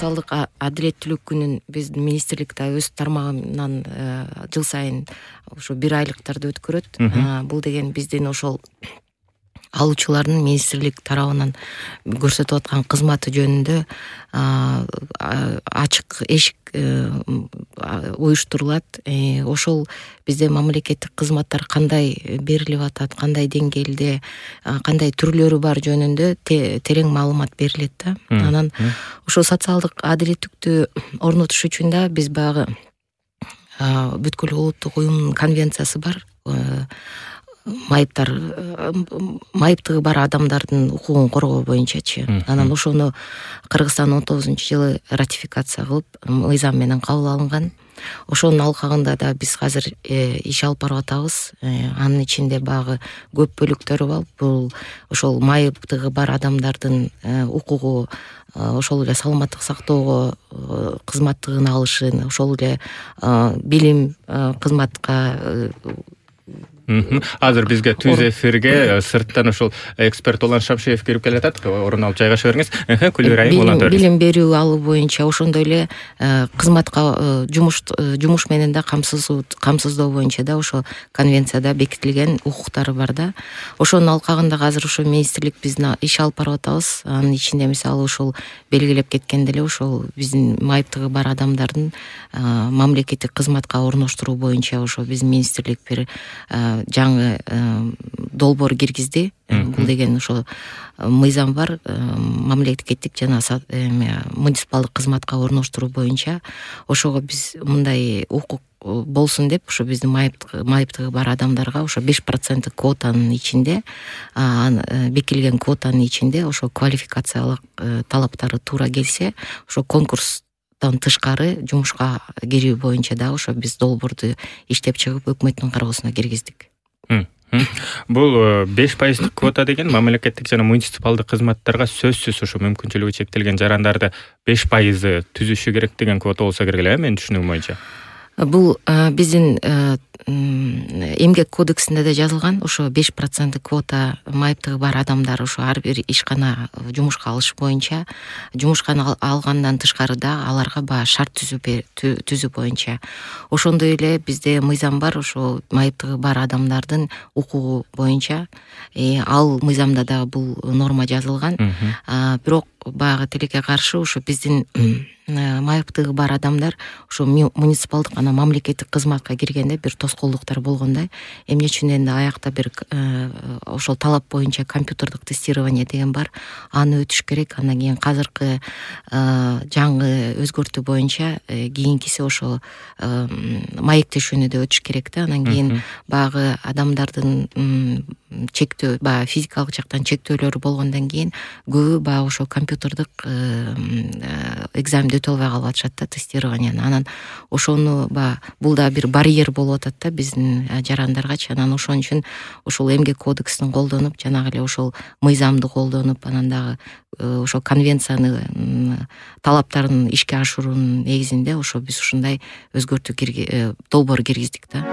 социалдык адилеттүүлүк күнүн биздин министрлик да өз тармагынан жыл сайын ошо 1 айлыктарды өткөрөт. Бул деген биздин ошол алуучулардын министрлик тарабынан көрсөтүп аткан кызматы жөнүндө ачык эшик уюштурулат. Ошол бизде мамлекеттик кызматтар кандай берилип атат, кандай деңгээлде, кандай түрлөрү бар жөнүндө терең маалымат берилет да. Анан ошо социалдык адилеттүүлүктү орнотуш үчүн да биз баягы бүткүл улуттук уюмдун конвенциясы бар. Майыптыгы бар адамдардын укугун коргоо боюнчачы. Анан ошону Кыргызстан 19-жылы ратификация кылып, мыйзам менен кабыл алынган. Ошонун алкагында да биз азыр иш алып барып атабыз. Анын ичинде багы көп бөлүктөрү бар. Бул ошол майыптыгы бар адамдардын укугу, ошол эле саламаттык сактоого кызматтыгын алышын, ошол эле билим кызматка. Азыр бизге түз эфирге сырттан ошол эксперт Улан Шамшиев кирип келатат. Орун алып жайгаша бериңиз. Күлбүр айым Улан. Билим берүү алуу боюнча ошондой эле кызматка жумуш менен да камсыздоо боюнча да ошо конвенцияда бекитилген укуктары бар да. Ошонун алкагында азыр ошо министрлик биздин иш алып барып атабыз. Анын ичинде мисалы ошол белгилеп кеткенде эле ошол биздин майыптыгы бар адамдардын мамлекеттик кызматка орноштуруу боюнча ошо биздин министрлик бир жаңы долбоор киргизди. Бул деген ошо мыйзам бар, мамлекеттик жана муниципалдык кызматка орноштуруу боюнча. Ошого биз мындай укук болсун деп ошо биздин майыптыгы бар адамдарга ошо 5% квотанын ичинде, бекитилген квотанын ичинде ошо квалификациялык талаптары туура келсе, ошо конкурстан тышкары жумушка кирүү боюнча да ошо биз долбоорду иштеп чыгып өкмөттүн кароосуна киргиздик. Бул 5% квота деген мамлекеттик жана муниципалдык кызматтарга сөзсүз ошо мүмкүнчүлүгү чектелген жарандарды 5% түзүшү керек деген квота болсо керек эле, менин түшүнүгүм боюнча. Бул биздин эмгек кодексинде да жазылган. Ошо 5% квота майыптыгы бар адамдар ошо ар бир ишкана жумушка алыш боюнча, жумушка алгандан тышкары да аларга баягы шарт түзүү боюнча. Ошондой эле бизде мыйзам бар, ошо майыптыгы бар адамдардын укугу боюнча. Ал мыйзамда да бул норма жазылган. Бирок баягы тилекке каршы ошо биздин майыптыгы бар адамдар ошо муниципалдык анан мамлекеттик кызматка киргенде бир тоскоолдуктар болгондой. Эмне үчүн энди аякта бир ошол талап боюнча компьютердик тестирование деген бар. Аны өтүш керек. Андан кийин азыркы жаңы өзгөртүү боюнча кийинкиси ошо маектешүүнү да өтүш керек да. Андан кийин баягы адамдардын чектөө, баягы физикалык жактан чектөөлөрү болгондон кийин көбү баягы ошо компьютердик экзаменди өтө албай калып атышат да, тестированияны. Анан ошону бул да бир барьер болуп атат да биздин жарандаргачы. Анан ошон үчүн ошол эмгек кодексин колдонуп, жанагы эле ошол мыйзамды колдонуп, анан дагы ошо конвенцияны талаптарын ишке ашыруунун негизинде ошо биз ушундай өзгөртүү долбоор киргиздик да.